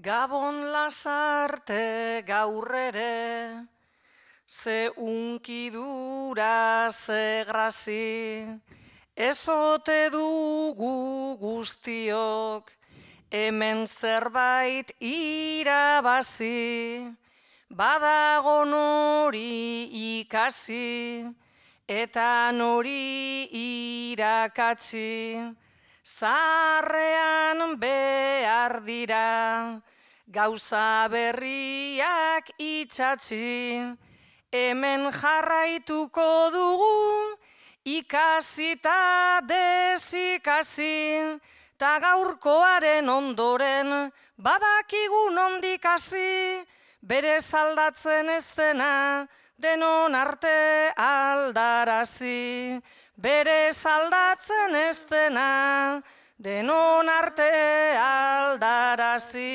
Gabon lasarte gaur ere, ze unkidura, ze grazi, ezote dugu guztiok, hemen zerbait irabazi, badago nori ikasi, eta nori irakatsi, zaharrean behar dira, gauza berriak itsatsi, hemen jarraituko dugu, ikasita desikasi, ta gaurkoaren ondoren, badakigu nondik hasi, berez aldatzen ez dena, denon arte aldarazi. Berez aldatzen ez dena, denon arte aldarazi.